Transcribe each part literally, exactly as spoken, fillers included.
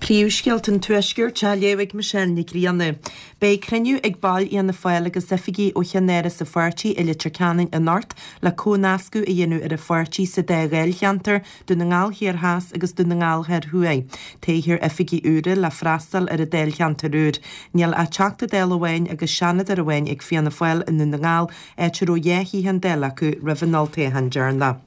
Príomhscéalta an Tuaiscirt á léamh ag Michelle Nic Grianna. Beidh cruinniú ag baill Fhianna Fáil agus oifigigh ó cheannáras an pháirtí i Leitir Ceanainn anocht le comhnascadh a dhéanamh ar an pháirtí sa dá dháilcheantar, Dún na nGall Thiar Theas agus Dún na nGall Thoir Thuaidh. Toghfar oifigigh úra le freastal ar an dáilcheantar úr. Níl ach Teachta Dála amháin agus Seanadóir amháin ag Fianna Fáil i nDún na nGall, áit a raibh dhá shuíochán Dála acu roimh an olltoghchán deireanach.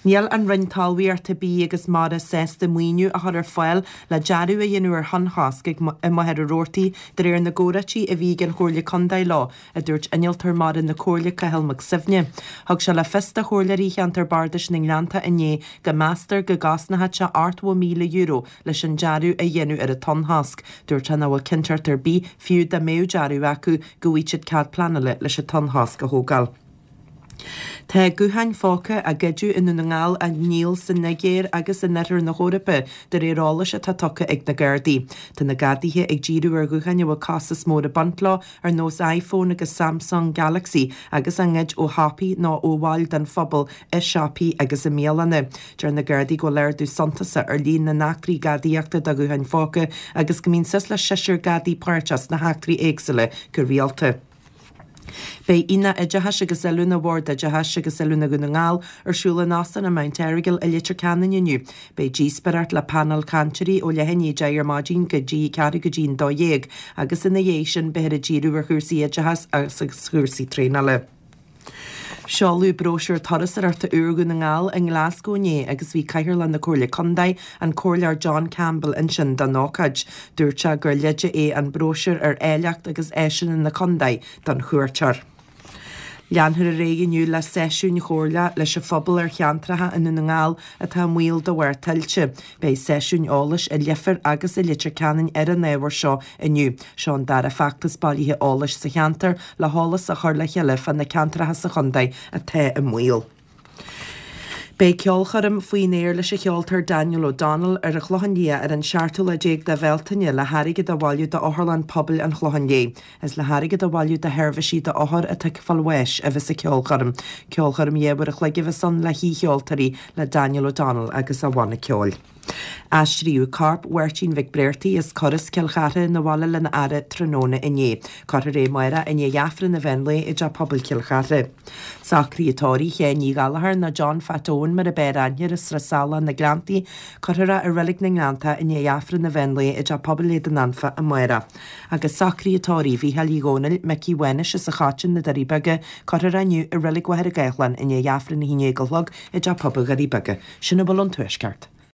Níl an Roinn Talmhaíochta, Bídh agus Mara sásta maoiniú a chur ar fáil le dearadh a dhéanamh ar thonnchosc ag i Machaire Rabhartaigh de réir na gcomhráití a bhí ag an Chomhairle Contae leo, a dúirt Innealtóir Mara na Comhairle Cathal Mac Suibhne. Thug sé le fios do chomhairleoirí cheantar Bardais na nGleannta inné go meastar go gcosnódh sé ochtó míle euro leis an dearadh a dhéanamh ar an tonnchosc. Dúirt sé nach bhfuil cinnteacht ar bith, fiú dá mbeadh dearadh acu, go bhfaighidh siad cead pleanála leis an tonnchosc a thógáil. Tá gutháin phóca á ngoideadh i nDún na nGall á ndíol sa Nigéir agus in oirthear na hEorpa de réir eolais atá tugtha ag na Gardaí. Tá na Gardaithe ag díriú ar ghutháin a bhfuil costas mór ag baint leo ar nós iPhone agus Samsung Galaxy agus á ngoid ó shiopaí nó ó bhaill den phobal i siopaí agus i mbialanna. Deir na Gardaí go bhfuil ardú suntasach ar líon na n-eachtraí gadaíochta do ghutháin phóca agus go mbíonn suas le seisear Gardaí páirteach sna heachtraí éagsúla go rialta. Beidh Aonach Oideachais agus Oiliúna Bhord Oideachais agus Oiliúna Dhún na nGall ar siúl in Óstán an Mount Errigal i Leitir Ceanainn inniu. Beidh díospóireacht le painéal cainteoirí ó leath i ndiaidh a deich ar maidin go dtí ceathrú go dtí an dó dhéag agus ina dhiaidh sin beifear ag díriú ar chúrsaí oideachais agus chúrsaí traenála. Seoladh bróisiúr turasóireachta úr Dhún na nGall i nGlasgow inné agus bhí Cathaoirleach na Comhairle Contae, an Comhairleoir John Campbell ansin don ócáid. Dúirt sé gur leide é an bróisiúr ar áilleacht agus áiseanna na contae don chuairteoir. Leanfar ar aghaidh inniu le seisiúin chomhairle leis an phobal ar cheantracha i nDún na nGall atá i mbaol de bharr tuilte. Beidh seisiúin eolais i Leifear agus i Leitir Ceanainn ar an ábhar seo inniu. Seo an dara feachtas bailithe eolais sa cheantar le heolas a chur le chéile fá na ceantracha sa chontae atá i mbaol. Beidh ceolchoirm faoin aer leis an cheoltóir Daniel O'Donnell ar an Chlochán Liath ar an seachtú lá déag de Bhealtaine le hairgead a bhailiú d'Otharlann Pobail an Chlocháin Léith. Is le hairgead a bhailiú do sheirbhísí d'othair atá ag fáil bháis a bheas an ceolchoirm. Ceolchoirm dhá uair a chloig a bheas ann le haoicheoltóirí le Daniel O'Donnell agus a bhanna ceoil. Aistríodh corp Mháirtín Mhic Bréartaigh as Coras Cill Chartha 'na bhaile lena fhaire tráthnóna inné. Cuirfear é amárach i ndiaidh Aifreann an mheán lae i dTeach Pobail Chill Chartha. Socruithe tórraimh Sheáin Uí Ghallchóir nó John Phat Eoin mar ab fhearr aithne air as Srath Salach na Gleanntaí, cuirfear é i Reilig na nGleanntach i ndiaidh Aifreann an mheán lae i dTeach Pobail Éadan Anfa amárach. Agus socruithe tórraimh Mhícheáil Uí Dhónaill, Micí Mhánais as an Choiteann, na Doirí Beaga, cuirfear é inniu i Reilig Mhachaire Gathlán i ndiaidh Aifreann a haon déag a chlog i dTeach Pobail Dhoirí Beaga. Sin a bhfuil ón Tuaisceart.